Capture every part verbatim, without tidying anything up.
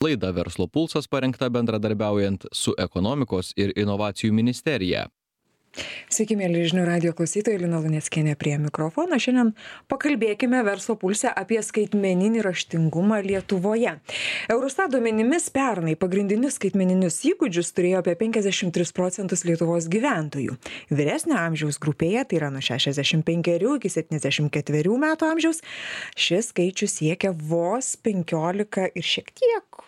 Laida Verslo pulsas parengta bendradarbiaujant su Ekonomikos ir inovacijų ministerija. Sveiki, mėly žinių radijo klausytojai, Lina Luneckienė prie mikrofono. Šiandien pakalbėkime Verslo pulse apie skaitmeninį raštingumą Lietuvoje. Eurostat duomenimis pernai pagrindinius skaitmeninius įgūdžius turėjo apie penkiasdešimt tris procentus Lietuvos gyventojų. Vyresnio amžiaus grupėje, tai yra nuo šešiasdešimt penkerių iki septyniasdešimt ketverių metų amžiaus, šis skaičius siekia vos penkiolika ir šiek tiek,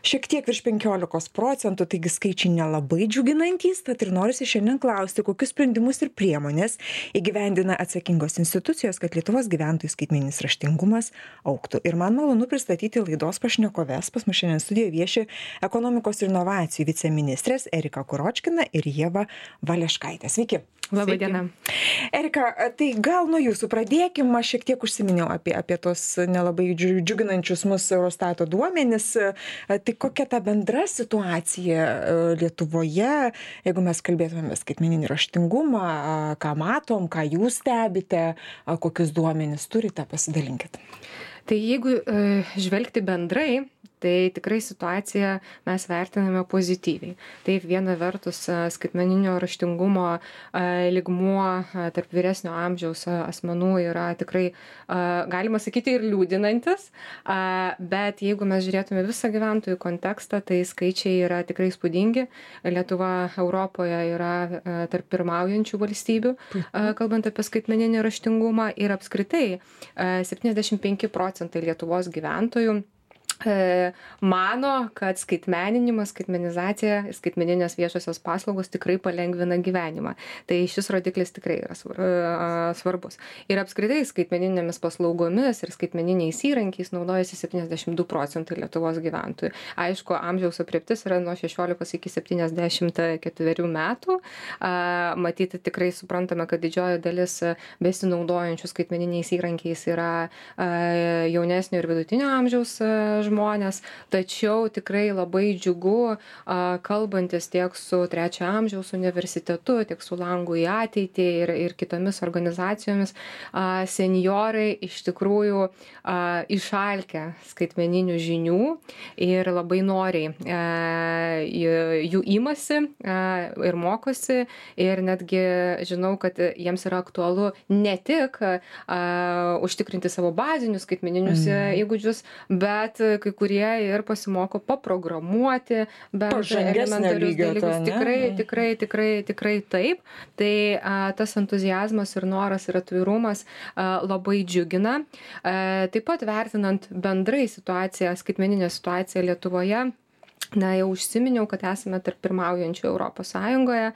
šiek tiek virš penkiolikos procentų, taigi skaičiai nelabai džiuginantys, tad ir norisi šiandien klausti, kokius sprendimus ir priemonės įgyvendina atsakingos institucijos, kad Lietuvos gyventojų skaitmeninis raštingumas augtų. Ir man malonu pristatyti laidos pašnekoves. Pas mus šiandien studijoje vieši Ekonomikos ir inovacijų viceministrės Erika Kuročkina ir Ieva Valeškaitė. Sveiki. Labai diena. Erika, tai gal nuo jūsų pradėkim, aš šiek tiek užsiminiau apie, apie tos nelabai džiuginančius mūsų Eurostato duomenis. Tai kokia ta bendra situacija Lietuvoje, jeigu mes kalbėtume skaitmeninį raštingumą, ką matom, ką jūs stebite, kokius duomenis turite, pasidalinkit. Tai jeigu e, žvelgti bendrai, tai tikrai situaciją mes vertiname pozityviai. Taip, viena vertus skaitmeninio raštingumo lygmuo tarp vyresnio amžiaus asmenų yra tikrai, galima sakyti, ir liūdinantis, bet jeigu mes žiūrėtume visą gyventojų kontekstą, tai skaičiai yra tikrai įspūdingi. Lietuva Europoje yra tarp pirmaujančių valstybių, kalbant apie skaitmeninį raštingumą, ir apskritai septyniasdešimt penki procentai Lietuvos gyventojų mano, kad skaitmeninimas, skaitmenizacija, skaitmeninės viešosios paslaugos tikrai palengvina gyvenimą. Tai šis rodiklis tikrai yra svarbus. Ir apskritai skaitmeninėmis paslaugomis ir skaitmeniniais įrankiais naudojasi septyniasdešimt du procentai Lietuvos gyventojų. Aišku, amžiaus aprėptis yra nuo šešiolikos iki septyniasdešimt ketverių metų. Matyti tikrai suprantame, kad didžioji dalis besinaudojančių skaitmeniniais įrankiais yra jaunesnio ir vidutinio amžiaus žmonės, tačiau tikrai labai džiugu, kalbantis tiek su trečio amžiaus universitetu, tiek su Langu į ateitį ir, ir kitomis organizacijomis, senjorai iš tikrųjų išalkę skaitmeninių žinių ir labai noriai jų imasi ir mokosi, ir netgi žinau, kad jiems yra aktualu ne tik užtikrinti savo bazinius skaitmeninius mm. įgūdžius, bet kai kurie ir pasimoko paprogramuoti, bent elementarius dalykus. Tikrai, tikrai, tikrai, tikrai taip. Tai a, tas entuziazmas ir noras ir atvirumas a, labai džiugina. A, taip pat vertinant bendrai situaciją, skaitmeninę situaciją Lietuvoje, na, jau užsiminiau, kad esame tarp pirmaujančių Europos Sąjungoje.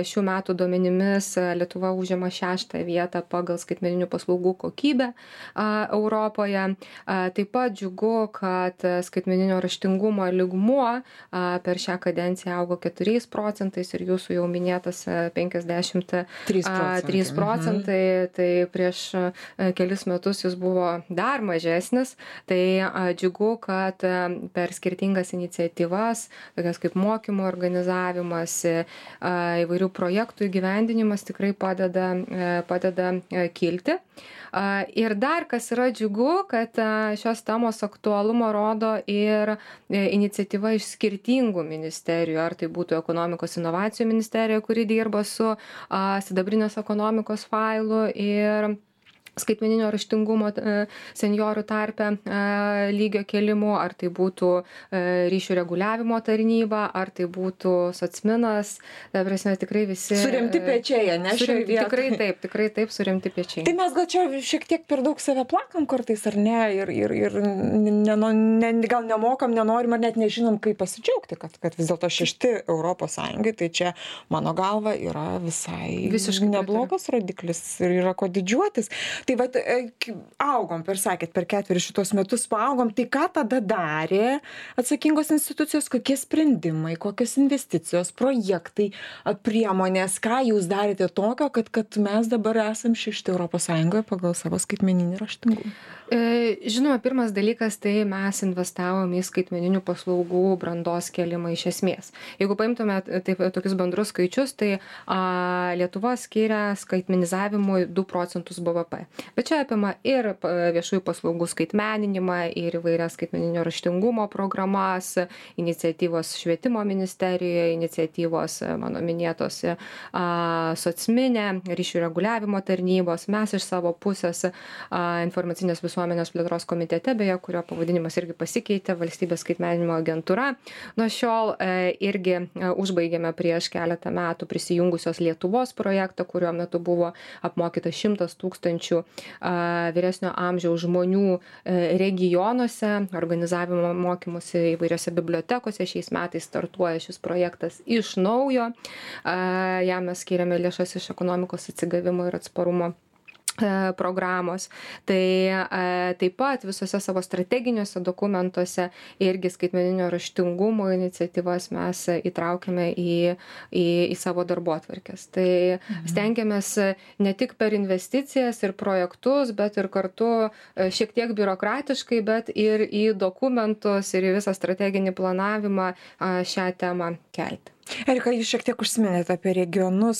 Šių metų duomenimis Lietuva užima šeštą vietą pagal skaitmeninių paslaugų kokybę Europoje. Taip pat džiugu, kad skaitmeninio raštingumo lygmuo per šią kadenciją augo keturiais procentais ir jūsų jau minėtas penkiasdešimt trys procentai. Tai prieš kelis metus jis buvo dar mažesnis. Tai džiugu, kad per skirtingas iniciatyvas, tokias kaip mokymo organizavimas, įvairių projektų įgyvendinimas tikrai padeda, padeda kilti. Ir dar kas yra džiugu, kad šios temos aktualumo rodo ir iniciatyva iš skirtingų ministerijų, ar tai būtų Ekonomikos inovacijų ministerija, kuri dirba su sidabrinės ekonomikos failu ir skaitmeninio raštingumo senjorų tarpe lygio kelimu, ar tai būtų ryšių reguliavimo tarnyba, ar tai būtų socminas, ta prasme, tikrai visi suremti pečiai, ne? Suremti, tikrai taip, tikrai taip, suremti pečiai. Tai mes gal čia šiek tiek per daug save plakam kartais, ar ne, ir, ir, ir ne, ne, gal nemokam, nenorim, ar net nežinom, kaip pasidžiaugti, kad, kad vis dėlto šešti Europos Sąjungai, tai čia, mano galva, yra visai visiškai neblogas rodiklis ir yra ko didžiuotis. Tai vat augom, per sakėt, per ketverius šitos metus paaugom, tai ką tada darė atsakingos institucijos, kokie sprendimai, kokios investicijos, projektai, priemonės, ką jūs darėte tokio, kad, kad mes dabar esam šešti Europos Sąjungoje pagal savo skaitmeninį raštingumą? Žinoma, pirmas dalykas, tai mes investavom į skaitmeninių paslaugų brandos kėlimą iš esmės. Jeigu paimtume taip, tokius bendrus skaičius, tai a, Lietuva skiria skaitmenizavimui du procentus B V P. Bet čia apima ir viešųjų paslaugų skaitmeninimą, ir įvairias skaitmeninio raštingumo programas, iniciatyvos švietimo ministerijoje, iniciatyvos mano minėtos socminė, ryšių reguliavimo tarnybos, mes iš savo pusės informacinės visuomenės plėtros komitete, beje, kurio pavadinimas irgi pasikeitė, valstybės skaitmeninimo agentūra. Nuo šiol irgi užbaigėme prieš keletą metų prisijungusios Lietuvos projektą, kurio metu buvo apmokyta šimtas tūkstančių vyresnio amžiaus žmonių regionuose, organizavimo mokymusi įvairiose bibliotekose. Šiais metais startuoja šis projektas iš naujo. Jam mes skiriame lėšas iš ekonomikos atsigavimo ir atsparumo programos. Tai taip pat visose savo strateginiuose dokumentuose irgi skaitmeninio raštingumo iniciatyvas mes įtraukiame į, į, į savo darbotvarkes. Tai mhm. stengiamės ne tik per investicijas ir projektus, bet ir kartu šiek tiek biurokratiškai, bet ir į dokumentus ir į visą strateginį planavimą šią temą kelti. Erika, jūs šiek tiek užsiminėte apie regionus,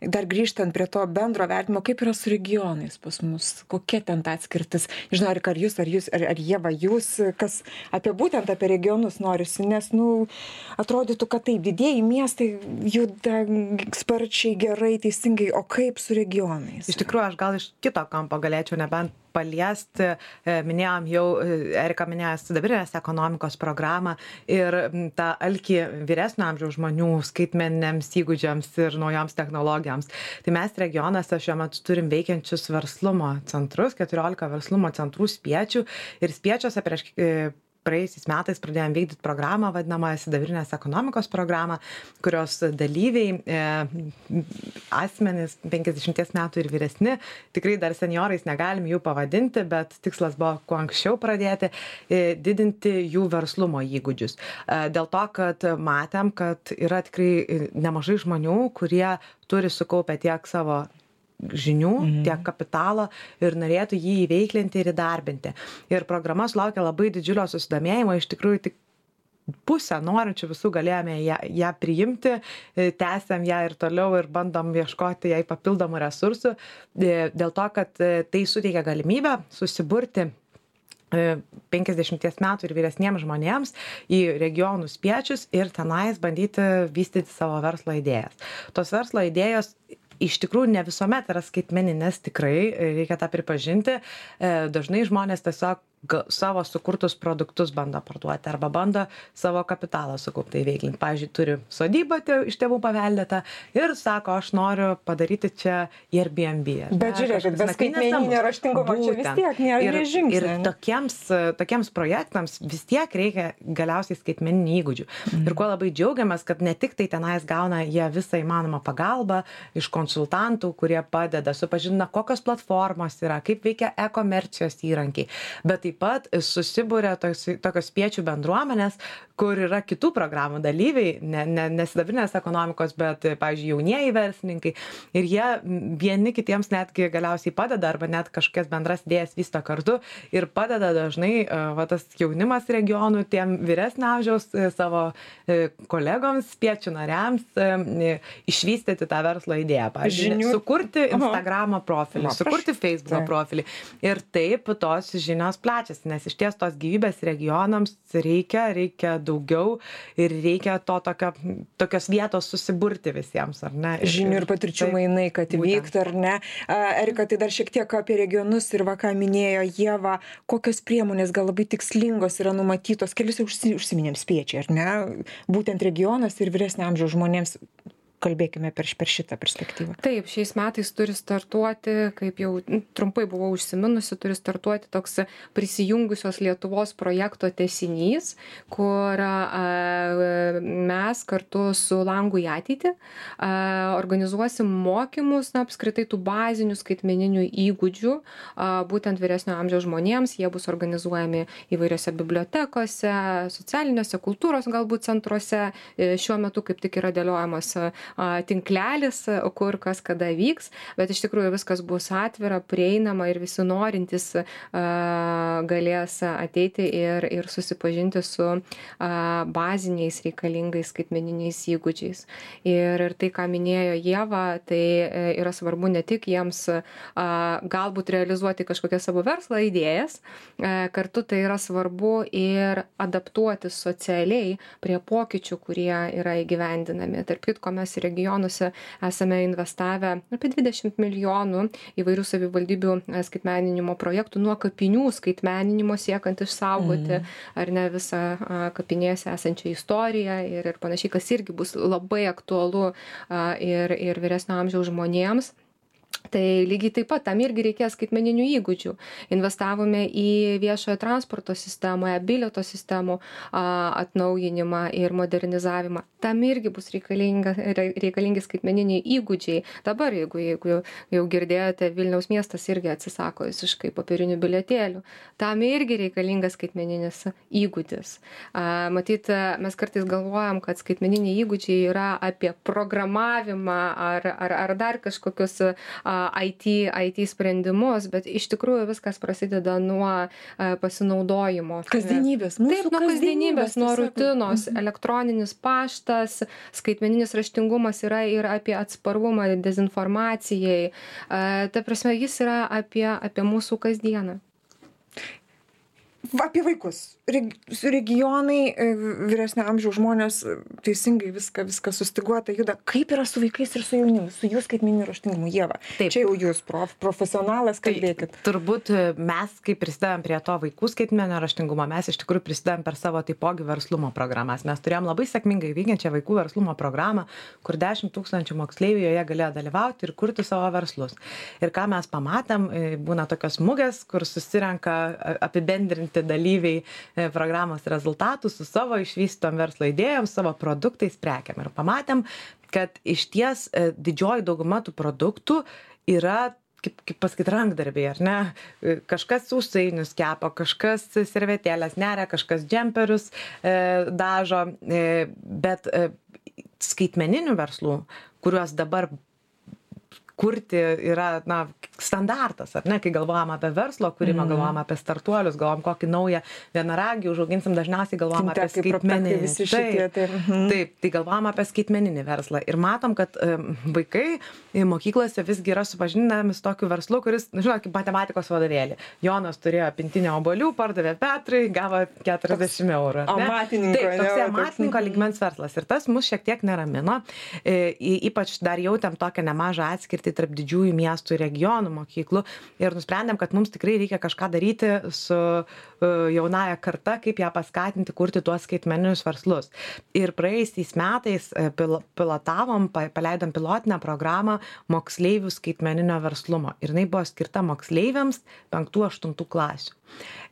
dar grįžtant prie to bendro vertimo, kaip yra su regionais pas mus, kokia ten ta atskirtis. Žinau, Erika, ar jūs, ar jūs, ar, ar Ieva, jūs, kas apie būtent apie regionus norisi, nes, nu, atrodytų, kad taip, didieji miestai juda sparčiai, gerai, teisingai, o kaip su regionais? Iš tikrųjų, aš gal iš kito kampo galėčiau nebent paliesti, minėjom jau, Erika minėjo sidabrinės ekonomikos programą ir tą alkį vyresnio amžiaus žmonių skaitmeniniams įgūdžiams ir naujoms technologijoms. Tai mes regionuose šiuo metu turim veikiančius verslumo centrus, keturiolika verslumo centrų Spiečių ir Spiečiuose prieš praėjusiais metais pradėjom vykdyti programą, vadinamą sidabrinės ekonomikos programą, kurios dalyviai, e, asmenys penkiasdešimties metų ir vyresni, tikrai dar seniorais negalim jų pavadinti, bet tikslas buvo kuo anksčiau pradėti, e, didinti jų verslumo įgūdžius. E, dėl to, kad matėm, kad yra tikrai nemažai žmonių, kurie turi sukaupę tiek savo žinių, mhm. tiek kapitalo ir norėtų jį įveiklinti ir įdarbinti. Ir programa sulaukė labai didžiulio susidomėjimo, iš tikrųjų tik pusę norinčių visų galėjome ją, ją priimti, tęsiam ją ir toliau ir bandom ieškoti jai papildomų resursų, dėl to, kad tai suteikia galimybę susiburti penkiasdešimties metų ir vyresniems žmonėms į regionų Spiečius ir tenais bandyti vystyti savo verslo idėjas. Tos verslo idėjos iš tikrųjų ne visuomet yra skaitmeninės, tikrai, reikia tą pripažinti. Dažnai žmonės tiesiog savo sukurtus produktus bando parduoti arba bando savo kapitalą sukauptai veiklinti. Pavyzdžiui, turi sodybą iš tėvų paveldėtą ir sako, aš noriu padaryti čia Airbnb. Bet žiūrėkit, be skaitmeninio raštingumo čia vis tiek nėra žingsnio. Ir tokiems, tokiems projektams vis tiek reikia galiausiai skaitmeninių įgūdžių. Mm. Ir kuo labai džiaugiamės, kad ne tik tai tenais gauna jie visą įmanomą pagalbą iš konsultantų, kurie padeda, supažindina, kokios platformos yra, kaip veikia e-komercijos įrankiai, bet taip pat susibūrė tokios Spiečių bendruomenės, kur yra kitų programų dalyviai, ne, ne, ne sidabrinės ekonomikos, bet, pavyzdžiui, jaunieji verslininkai. Ir jie vieni kitiems netgi galiausiai padeda, arba net kažkokias bendras idėjas vysto kartu ir padeda dažnai va, tas jaunimas regionų, tiem vyresnio amžiaus savo kolegoms, Spiečių nariams išvystyti tą verslo idėją. Pavyzdžiui, Žinių... sukurti Instagramo profilį, Aha. sukurti Facebooko tai. profilį. Ir taip tos žinios plečiasi, nes iš ties tos gyvybės regionams reikia, reikia daugiau ir reikia to tokio, tokios vietos susiburti visiems, ar ne? Žinių ir patirčių tai, mainai, kad vyktų, ar ne? Erika, tai dar šiek tiek apie regionus ir va, ką minėjo Ieva, kokios priemonės gal labai tikslingos yra numatytos, kelius užsiminėm Spiečiai, ar ne? Būtent regionas ir vyresnio amžiaus žmonėms. Kalbėkime per, per šitą perspektyvą. Taip, šiais metais turi startuoti, kaip jau trumpai buvau užsiminusi, turi startuoti toks prisijungusios Lietuvos projekto tęsinys, kur a, mes kartu su Langu į ateitį a, organizuosim mokymus, na, apskritai tų bazinių skaitmeninių įgūdžių, a, būtent vyresnio amžiaus žmonėms. Jie bus organizuojami įvairiose bibliotekose, socialiniuose, kultūros galbūt centruose. Šiuo metu kaip tik yra dėliojamas tinklelis, kur kas kada vyks, bet iš tikrųjų viskas bus atvira, prieinama ir visi norintys galės ateiti ir, ir susipažinti su baziniais reikalingais skaitmeniniais įgūdžiais. Ir, ir tai, ką minėjo Ieva, tai yra svarbu ne tik jiems galbūt realizuoti kažkokias savo verslo idėjas, kartu tai yra svarbu ir adaptuotis socialiai prie pokyčių, kurie yra įgyvendinami. Tarp kitko, mes regionuose esame investavę apie dvidešimt milijonų įvairių savivaldybių skaitmeninimo projektų, nuo kapinių skaitmeninimo siekant išsaugoti mm. ar ne visą kapinėse esančią istoriją ir, ir panašiai, kas irgi bus labai aktualu ir, ir vyresnio amžiaus žmonėms. Tai lygiai taip pat, tam irgi reikės skaitmeninių įgūdžių. Investavome į viešojo transporto sistemą, bilieto sistemų atnaujinimą ir modernizavimą. Tam irgi bus reikalingi skaitmeniniai įgūdžiai. Dabar, jeigu, jeigu jau girdėjote, Vilniaus miestas irgi atsisako visiškai popierinių bilietėlių. Tam irgi reikalingas skaitmeninis įgūdis. Matyt, mes kartais galvojam, kad skaitmeniniai įgūdžiai yra apie programavimą ar, ar, ar dar kažkokius I T, I T sprendimus, bet iš tikrųjų viskas prasideda nuo pasinaudojimo. Kasdienybės. Taip, nuo kasdienybės, nuo rutinos. Mhm. Elektroninis paštas, skaitmeninis raštingumas yra ir apie atsparumą dezinformacijai. Ta prasme, jis yra apie, apie mūsų kasdieną. Apie vaikus. Regionai, vyresnio amžiaus žmonės teisingai viską, viską sustiguota juda. Kaip yra su vaikais ir su jaunimu, su jų skaitmeniniu raštingumu, Ieva? Taip. Čia jau jūs prof, profesionalas, kalbėkit. Tai, turbūt mes, kai prisidedam prie to vaikų skaitmeninio raštingumo, mes iš tikrųjų prisidedam per savo taipogi verslumo programas. Mes turėjom labai sėkmingai veikiančią vaikų verslumo programą, kur dešimt tūkstančių moksleivių joje galėjo dalyvauti ir kurti savo verslus. Ir ką mes pamatėm, būna tokios mugės, kur susirenka apibendrinti dalyviai programos rezultatų su savo išvystytom verslo idėjom, savo produktais, prekiam. Ir pamatėm, kad iš ties didžioji dauguma tų produktų yra, kaip, kaip pasakyt, rankdarbiai, ar ne? Kažkas sausainius kepa, kažkas servetėlės neria, kažkas džemperius e, dažo, e, bet e, skaitmeninių verslų, kuriuos dabar kurti yra, na, standartas, ar ne, kai galvojam apie verslo kūrimą, mm. galvojam apie startuolius, galvojam kokį naują vienaragį užauginsim, dažniausiai galvojam apie skaitmeninį. Visi šitie, taip, mm. taip, tai galvojam apie skaitmeninį verslą. Ir matom, kad um, vaikai mokyklose visgi yra supažindinami su tokiu verslu, kuris, žinot, kaip matematikos vadovėlį. Jonas turėjo pintinę obuolių, pardavė Petrui, gavo keturiasdešimt eurų. Amatininko. Taip, toks amatininko lygmens verslas. Ir tas mus šiek tiek neramino. E, ypač dar jautėm tokią nemažą atskirtį tarp didžiųjų miestų ir regionų mokyklų ir nusprendėm, kad mums tikrai reikia kažką daryti su jaunaja karta, kaip ją paskatinti kurti tuos skaitmeninius verslus. Ir praėjusiais metais pilotavom, paleidom pilotinę programą moksleivių skaitmeninio verslumo. Ir jinai buvo skirta moksleiviams penktų aštuntų klasių.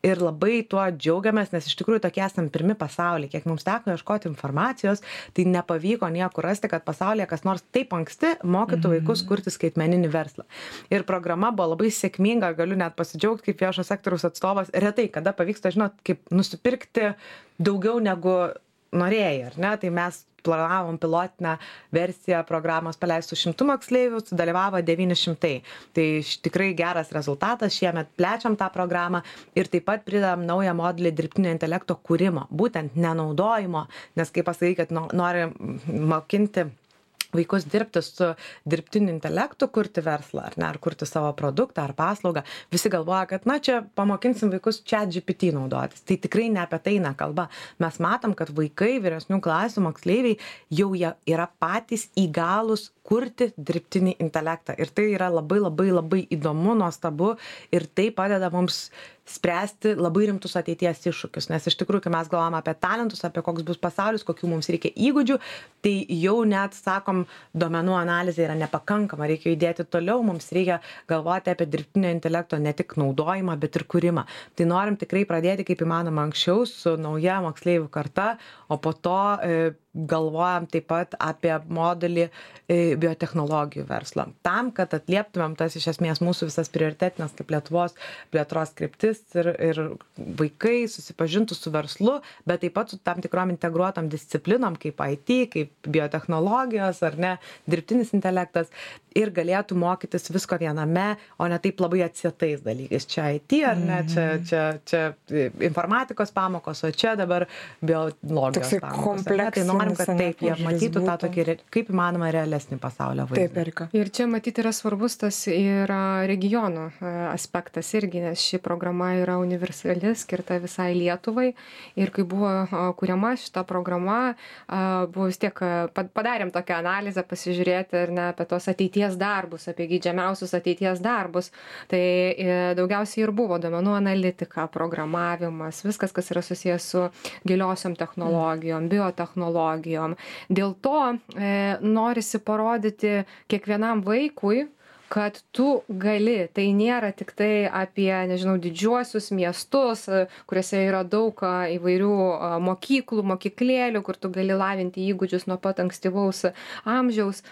Ir labai tuo džiaugiamės, nes iš tikrųjų tokie esam pirmi pasaulyje. Kiek mums teko ieškoti informacijos, tai nepavyko niekur rasti, kad pasaulyje kas nors taip anksti mokytų vaikus kurti skaitmeninį verslą. Ir programa buvo labai sėkminga, galiu net pasidžiaugti kaip viešo sektoriaus atstovas. Retai, kada pavyksta, žinot, kaip nusipirkti daugiau negu norėjai, ar ne? Tai mes planavom pilotinę versiją programos paleistų šimtų moksleivių, sudalyvavo devyni šimtai. Tai tikrai geras rezultatas, šiemet plečiam tą programą ir taip pat pridedam naują modelį dirbtinio intelekto kūrimo, būtent nenaudojimo, nes kaip pasakai, kad nori mokinti vaikus dirbti su dirbtiniu intelektu, kurti verslą, ar ne, ar kurti savo produktą ar paslaugą. Visi galvoja, kad na čia pamokinsim vaikus ChatGPT naudotis. Tai tikrai ne apie tai eina kalba. Mes matom, kad vaikai, vyresnių klasių moksleiviai jau jie yra patys įgalūs kurti dirbtinį intelektą. Ir tai yra labai labai labai įdomu, nuostabu ir tai padeda mums spręsti labai rimtus ateities iššūkius. Nes iš tikrųjų, kai mes galvojame apie talentus, apie koks bus pasaulis, kokių mums reikia įgūdžių, tai jau net, sakom, duomenų analizė yra nepakankama, reikia judėti toliau, mums reikia galvoti apie dirbtinio intelekto ne tik naudojimą, bet ir kūrimą. Tai norim tikrai pradėti kaip įmanoma anksčiau su nauja moksleivių karta, o po to e, galvojam taip pat apie modelį biotechnologijų verslo. Tam, kad atlieptumėm tas iš esmės mūsų visas prioritetinės kaip Lietuvos plėtros kryptis ir, ir vaikai susipažintų su verslu, bet taip pat su tam tikrom integruotom disciplinom kaip I T, kaip biotechnologijos ar ne, dirbtinis intelektas ir galėtų mokytis visko viename, o ne taip labai atsietais dalykais. Čia I T ar ne, čia, čia, čia informatikos pamokos, o čia dabar biologijos pamokos. Tai norim, kad taip jie matytų tą tokį, kaip įmanoma, realesnį pasaulio vaizdą. Taip, Erika. Ir čia matyti yra svarbus tas ir regionų aspektas irgi, nes ši programa yra universali, skirta visai Lietuvai. Ir kai buvo kuriama šita programa, buvo vis tiek, padarėm tokią analizę, pasižiūrėti ir ne apie tos ateities darbus, apie geidžiamiausius ateities darbus. Tai daugiausiai ir buvo duomenų analitika, programavimas, viskas, kas yra susijęs su giliosiom technologijom, biotechnologijom. Dėl to e, norisi parodyti kiekvienam vaikui, kad tu gali, tai nėra tik tai apie, nežinau, didžiuosius miestus, kuriuose yra daug įvairių mokyklų, mokyklėlių, kur tu gali lavinti įgūdžius nuo pat ankstyvaus amžiaus.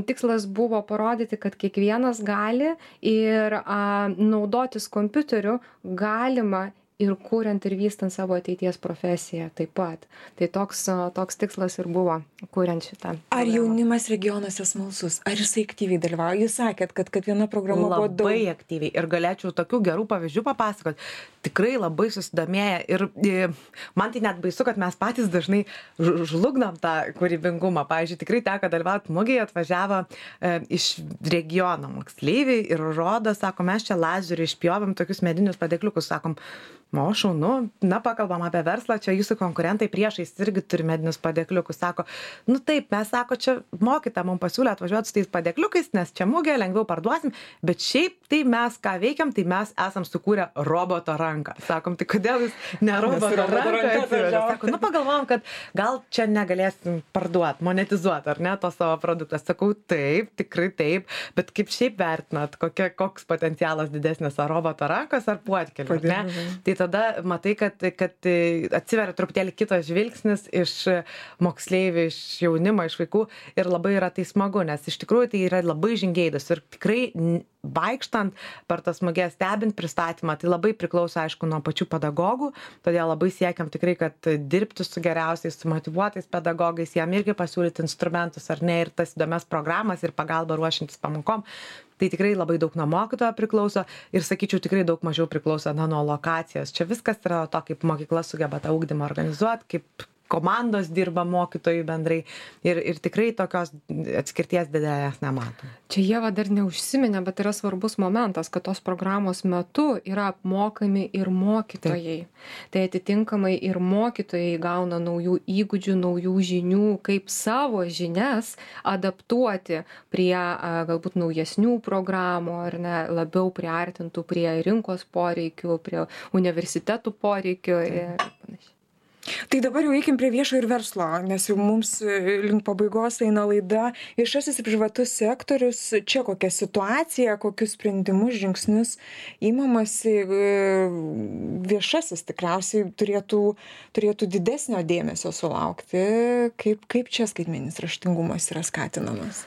Tikslas buvo parodyti, kad kiekvienas gali ir a, naudotis kompiuteriu galima ir kuriant ir vystant savo ateities profesiją taip pat. Tai toks, toks tikslas ir buvo, kuriant šitą. Ar jaunimas regionuose smalsus? Ar jisai aktyviai dalyvauja? Jūs sakėt, kad, kad viena programa buvo daug. Labai aktyviai. Ir galėčiau tokių gerų pavyzdžių papasakoti. Tikrai labai susidomėję. Ir, ir man tai net baisu, kad mes patys dažnai žlugnam tą kūrybingumą. Pavyzdžiui, tikrai teko dalyvauti mugėje, atvažiavo e, iš regiono moksleiviai ir rodo, sako, mes čia lazeriu išpjovėm tokius medinius padėkliukus, sakom, o šaunu, na, pakalbam apie verslą, čia jūsų konkurentai priešais irgi turi medinius padėkliukus. Sako, nu taip, mes, sako, čia mokyta, mums pasiūlė atvažiuoti su tais padėkliukais, nes čia mugė, lengviau parduosim, bet šiaip tai mes ką veikiam, tai mes esam sukūrę roboto ranką. Sakom, tai kodėl jūs ne roboto ranką atsivežė? Sako, nu pagalvom, kad gal čia negalėsim parduoti, monetizuoti, ar ne, to savo produktą. Sakau, taip, tikrai taip, bet kaip šiaip vertinat, kokia, koks potencialas didesnis, ar roboto rankos, ar puodkelių, ne? Tai tada matai, kad, kad atsiveria truputėlį kitas žvilgsnis iš moksleivių, iš jaunimo, iš vaikų ir labai yra tai smagu, nes iš tikrųjų tai yra labai žingeidus ir tikrai vaikštant per tas muges, stebint pristatymą, tai labai priklauso, aišku, nuo pačių pedagogų, todėl labai siekiam tikrai, kad dirbti su geriausiais, su motyvuotais pedagogais, jam irgi pasiūlyti instrumentus ar ne ir tas įdomias programas ir pagalbą ruošiantis pamokom. Tai tikrai labai daug nuo mokytojo priklauso ir, sakyčiau, tikrai daug mažiau priklauso na, nuo lokacijos. Čia viskas yra to, kaip mokykla sugeba tą ugdymą organizuoti, kaip komandos dirba mokytojų bendrai ir, ir tikrai tokios atskirties didelės nematom. Čia Ieva dar neužsiminė, bet yra svarbus momentas, kad tos programos metu yra apmokami ir mokytojai. Taip. Tai atitinkamai ir mokytojai gauna naujų įgūdžių, naujų žinių, kaip savo žinias adaptuoti prie a, galbūt naujesnių programų ar ne, labiau priartintų prie rinkos poreikių, prie universitetų poreikių ir panašiai. Tai dabar jau eikim prie viešo ir verslo, nes jau mums link pabaigos eina laida. Viešasis ir privatus sektorius, čia kokia situacija, kokius sprendimus, žingsnius įmamasi. Viešasis tikriausiai turėtų, turėtų didesnio dėmesio sulaukti, kaip, kaip čia skaitmeninis raštingumas yra skatinamas.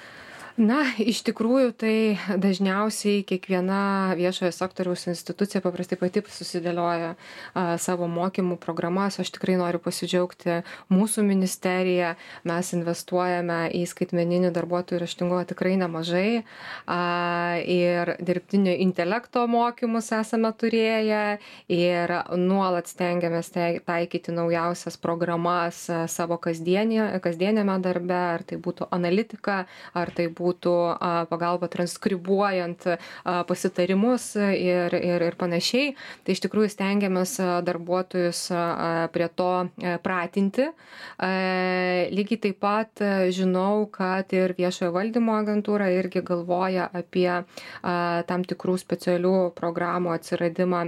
Na, iš tikrųjų, tai dažniausiai kiekviena viešojo sektoriaus institucija paprastai pati susidėlioja a, savo mokymų programas. Aš tikrai noriu pasidžiaugti mūsų ministerija. Mes investuojame į skaitmeninį darbuotojų raštingumą tikrai nemažai. A, ir dirbtinio intelekto mokymus esame turėję ir nuolat stengiamės taikyti naujausias programas savo kasdienė, kasdienėme darbe, ar tai būtų analitika, ar tai būtų būtų pagalba transkribuojant pasitarimus ir, ir, ir panašiai. Tai iš tikrųjų stengiamės darbuotojus prie to pratinti. Lygiai taip pat žinau, kad ir viešojo valdymo agentūra irgi galvoja apie tam tikrų specialių programų atsiradimą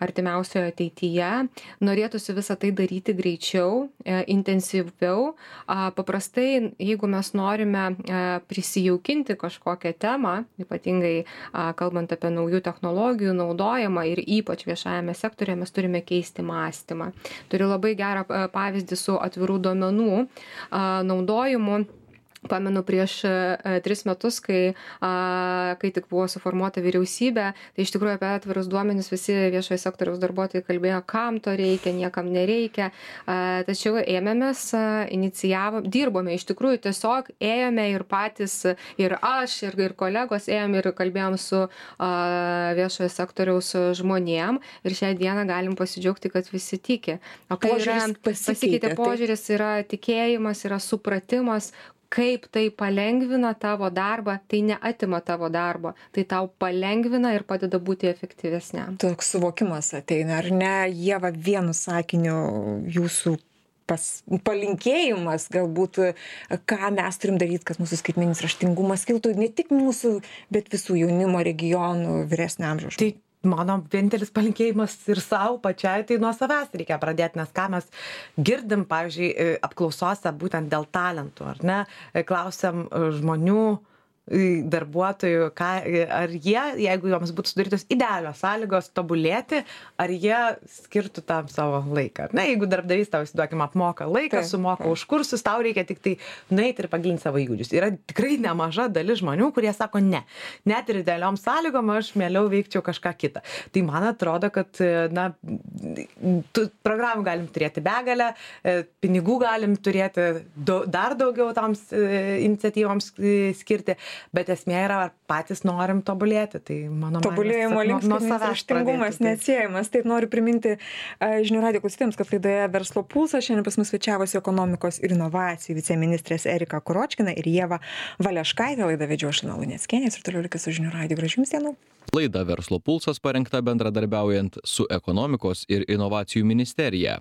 artimiausioje ateityje. Norėtųsi visą tai daryti greičiau, intensyviau. Paprastai, jeigu mes norime prisidėti įsijaukinti kažkokią temą, ypatingai a, kalbant apie naujų technologijų naudojimą ir ypač viešajame sektorėje, mes turime keisti mąstymą. Turiu labai gerą a, pavyzdį su atvirų duomenų a, naudojimu. Pamenu prieš a, tris metus, kai, a, kai tik buvo suformuota vyriausybė, tai iš tikrųjų apie atvirus duomenis visi viešojo sektoriaus darbuotojai kalbėjo, kam to reikia, niekam nereikia. A, tačiau ėmėmės, a, inicijavom, dirbome, iš tikrųjų tiesiog ėjome ir patys, ir aš, ir, ir kolegos ėjom ir kalbėjom su a, viešojo sektoriaus žmonėm ir šią dieną galim pasidžiaugti, kad visi tiki. O kai yra, pasikeitė požiūris, yra tikėjimas, yra supratimas, kaip tai palengvina tavo darbą, tai neatima tavo darbo, tai tau palengvina ir padeda būti efektyvesniam. Toks suvokimas ateina, ar ne, Ieva, vienu sakiniu jūsų pas, palinkėjimas, galbūt, ką mes turim daryti, kad mūsų skaitmeninis raštingumas kiltų ne tik mūsų, bet visų jaunimo regionų vyresnio amžiaus. Tai mano vienintelis palinkėjimas ir savo pačiai, tai nuo savęs reikia pradėti, nes ką mes girdim, pavyzdžiui, apklausose būtent dėl talentų, ar ne, klausiam žmonių, darbuotojų, ką, ar jie, jeigu joms būtų sudarytos idealios sąlygos tobulėti, ar jie skirtų tam savo laiką. Na, jeigu darbdavys tau, įsiduokim, apmoka laiką, tai, sumoka tai. už kursus, tau reikia tik tai nueiti ir pagilinti savo įgūdžius. Yra tikrai nemaža dalis žmonių, kurie sako ne. Net ir idealiom sąlygom aš mieliau veikčiau kažką kitą. Tai man atrodo, kad, na, tų programų galim turėti begalę, pinigų galim turėti do, dar daugiau toms iniciatyvoms skirti. Bet esmė yra, ar patys norim tobulėti. Tai mano tobulėjimo link skaitmeninis raštingumas neatsiejamas. Taip noriu priminti žinių radijo klausytojams, kad laidoje Verslo pulsas šiandien pas mus svečiavosi ekonomikos ir inovacijų viceministrės Erika Kuročkina ir Ieva Valeškaitė. Laidą vedžiau aš Lina Luneckienė ir toliau likite su žinių radiju. Gražių jums dienų. Laida Verslo pulsas parengta bendradarbiaujant su ekonomikos ir inovacijų ministerija.